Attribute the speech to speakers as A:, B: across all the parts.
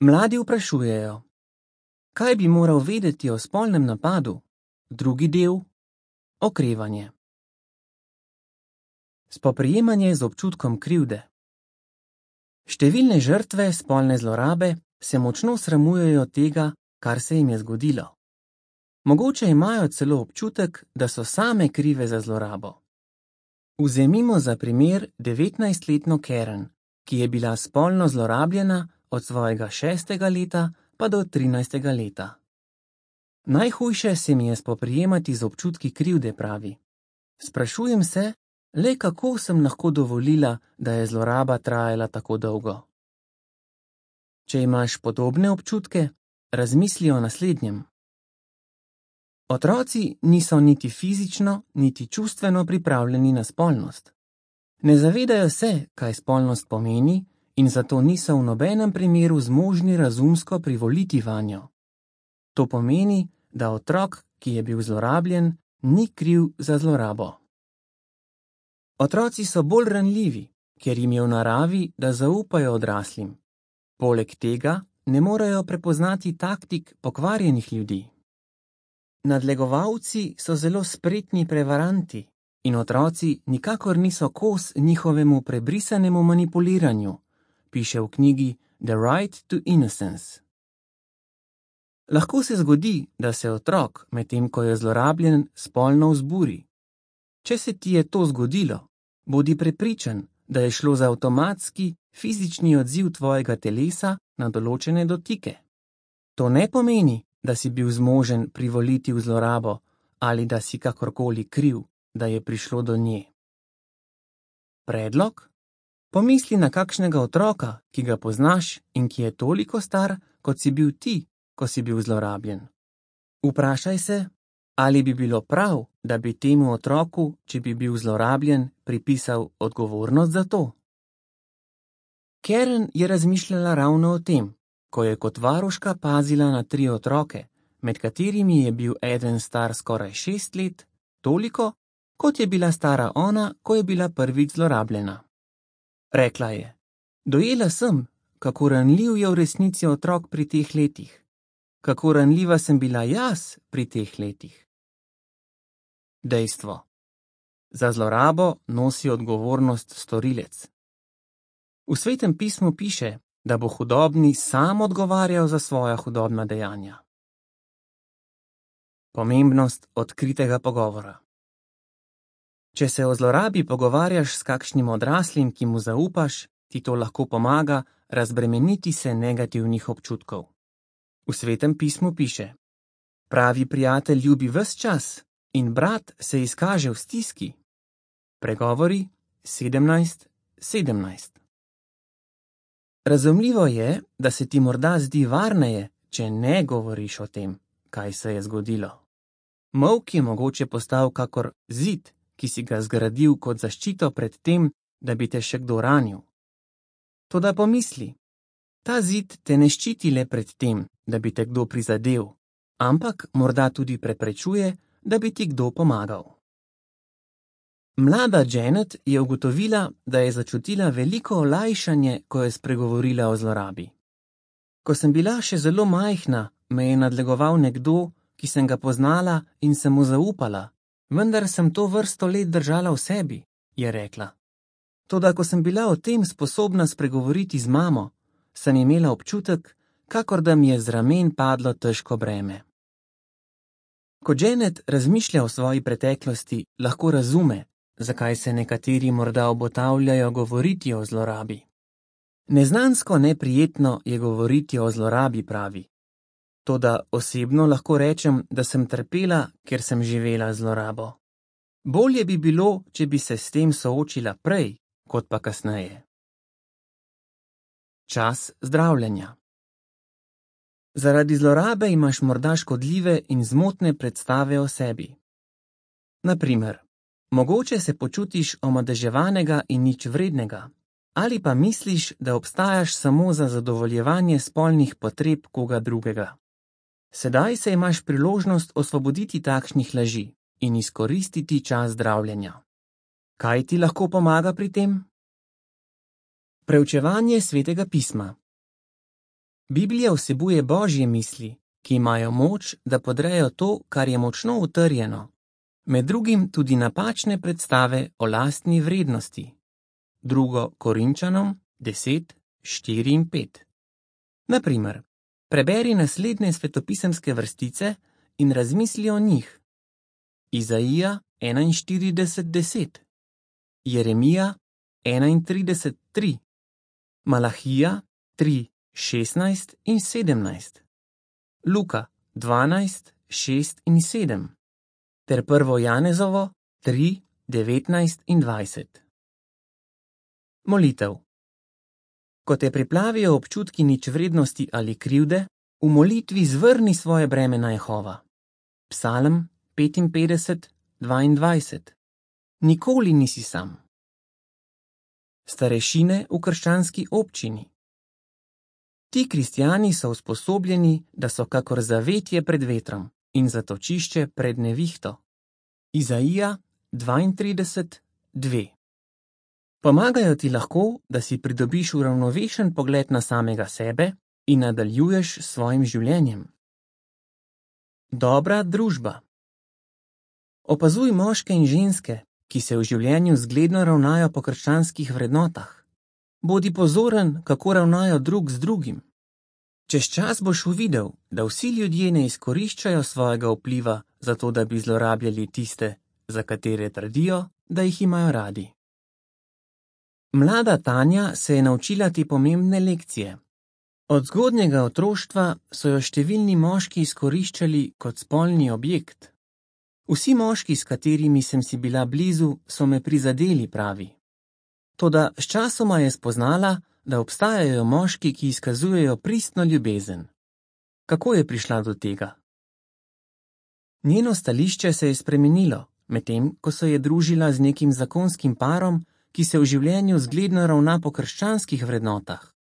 A: Mladi vprašujejo, kaj bi moral vedeti o spolnem napadu? Drugi del: okrevanje. Spoprijemanje z občutkom krivde. Številne žrtve spolne zlorabe se močno sramujejo tega, kar se jim je zgodilo. Mogoče imajo celo občutek, da so same krive za zlorabo. Vzemimo za primer 19-letno Karen, ki je bila spolno zlorabljena od svojega 6. leta pa do 13. leta. Najhujše se mi je spoprijemati z občutki krivde, pravi. Sprašujem se, le kako sem lahko dovolila, da je zloraba trajala tako dolgo. Če imaš podobne občutke, razmisli o naslednjem. Otroci niso niti fizično, niti čustveno pripravljeni na spolnost. Ne zavedajo se, kaj spolnost pomeni, in zato niso v nobenem primeru zmožni razumsko privoliti vanjo. To pomeni, da otrok, ki je bil zlorabljen, ni kriv za zlorabo. Otroci so bolj ranljivi, ker jim je v naravi, da zaupajo odraslim. Poleg tega ne morejo prepoznati taktik pokvarjenih ljudi. Nadlegovalci so zelo spretni prevaranti in otroci nikakor niso kos njihovemu prebrisanemu manipuliranju, piše v knjigi The Right to Innocence. Lahko se zgodi, da se otrok, medtem ko je zlorabljen, spolno vzburi. Če se ti je to zgodilo, bodi prepričan, da je šlo za avtomatski, fizični odziv tvojega telesa na določene dotike. To ne pomeni, da si bil zmožen privoliti v zlorabo ali da si kakorkoli kriv, da je prišlo do nje. Predlog? Pomisli na kakšnega otroka, ki ga poznaš in ki je toliko star, kot si bil ti, ko si bil zlorabljen. Vprašaj se, ali bi bilo prav, da bi temu otroku, če bi bil zlorabljen, pripisal odgovornost za to. Karen je razmišljala ravno o tem, ko je kot varuška pazila na 3 otroke, med katerimi je bil eden star skoraj 6 let, toliko, kot je bila stara ona, ko je bila prvič zlorabljena. Rekla je, dojela sem, kako ranljiv je v resnici otrok pri teh letih. Kako ranljiva sem bila jaz pri teh letih. Dejstvo. Za zlorabo nosi odgovornost storilec. V Svetem pismu piše, da bo hudobni sam odgovarjal za svoja hudobna dejanja. Pomembnost odkritega pogovora. Če se o zlorabi pogovarjaš s kakšnim odraslim, ki mu zaupaš, ti to lahko pomaga razbremeniti se negativnih občutkov. V Svetem pismu piše: pravi prijatelj ljubi ves čas in brat se izkaže v stiski. Pregovori 17:17. Razumljivo je, da se ti morda zdi varneje, če ne govoriš o tem, kaj se je zgodilo. Molk je mogoče postal kakor zid, ki si ga zgradil kot zaščito pred tem, da bi te še kdo ranil. Toda pomisli, ta zid te ne ščiti le pred tem, da bi te kdo prizadel, ampak morda tudi preprečuje, da bi ti kdo pomagal. Mlada Janet je ugotovila, da je začutila veliko olajšanje, ko je spregovorila o zlorabi. Ko sem bila še zelo majhna, me je nadlegoval nekdo, ki sem ga poznala in sem mu zaupala, vendar sem to vrsto let držala v sebi, je rekla. Toda ko sem bila o tem sposobna spregovoriti z mamo, sem imela občutek, kakor da mi je z ramen padlo težko breme. Ko Janet razmišlja o svoji preteklosti, lahko razume, zakaj se nekateri morda obotavljajo govoriti o zlorabi. Neznansko neprijetno je govoriti o zlorabi, pravi. Toda osebno lahko rečem, da sem trpela, ker sem živela zlorabo. Bolje bi bilo, če bi se s tem soočila prej, kot pa kasneje. Čas zdravljenja. Zaradi zlorabe imaš morda škodljive in zmotne predstave o sebi. Na primer, mogoče se počutiš omadeževanega in nič vrednega, ali pa misliš, da obstajaš samo za zadovoljevanje spolnih potreb koga drugega. Sedaj se imaš priložnost osvoboditi takšnih laži in izkoristiti čas zdravljenja. Kaj ti lahko pomaga pri tem? Preučevanje Svetega pisma. Biblija vsebuje Božje misli, ki imajo moč, da podrejo to, kar je močno utrjeno, med drugim tudi napačne predstave o lastni vrednosti. 2. Korinčanom 10, 4 in 5. Naprimer, preberi naslednje svetopisemske vrstice in razmisli o njih. Izaija 41:10, Jeremija 31:3, Malahija 3:16 in 17, Luka 12:6 in 7, ter 1. Janezovo 3:19 in 20. Molitev. Ko te priplavijo občutki ničvrednosti ali krivde, v molitvi zvrni svoje breme na Jehova. Psalm 55:22. Nikoli nisi sam. Starešine v krščanski občini. Ti kristjani so usposobljeni, da so kakor zavetje pred vetrom in zatočišče pred nevihto. Izaija 32:2. Pomagajo ti lahko, da si pridobiš uravnovešen pogled na samega sebe in nadaljuješ s svojim življenjem. Dobra družba. Opazuj moške in ženske, ki se v življenju zgledno ravnajo po krščanskih vrednotah. Bodi pozoren, kako ravnajo drug z drugim. Čez čas boš uvidel, da vsi ljudje ne izkoriščajo svojega vpliva zato, da bi zlorabljali tiste, za katere trdijo, da jih imajo radi. Mlada Tanja se je naučila te pomembne lekcije. Od zgodnjega otroštva so jo številni moški izkoriščali kot spolni objekt. Vsi moški, s katerimi sem si bila blizu, so me prizadeli, pravi. Toda sčasoma je spoznala, da obstajajo moški, ki izkazujejo pristno ljubezen. Kako je prišla do tega? Njeno stališče se je spremenilo, medtem ko se je družila z nekim zakonskim parom, ki se v življenju zgledno ravna po krščanskih vrednotah.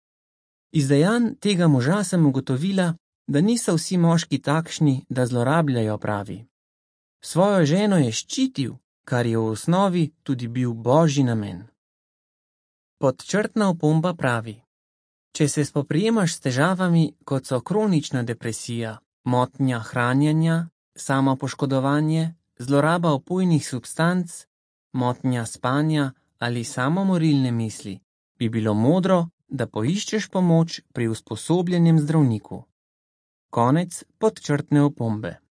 A: Iz dejanj tega moža sem ugotovila, da niso vsi moški takšni, da zlorabljajo, pravi. Svojo ženo je ščitil, kar je v osnovi tudi bil Božji namen. Podčrtna opomba pravi: če se spoprijemaš s težavami, kot so kronična depresija, motnja hranjenja, samopoškodovanje, zloraba opojnih substanc, motnja spanja ali samomorilne misli, bi bilo modro, da poiščeš pomoč pri usposobljenem zdravniku. Konec podčrtne opombe.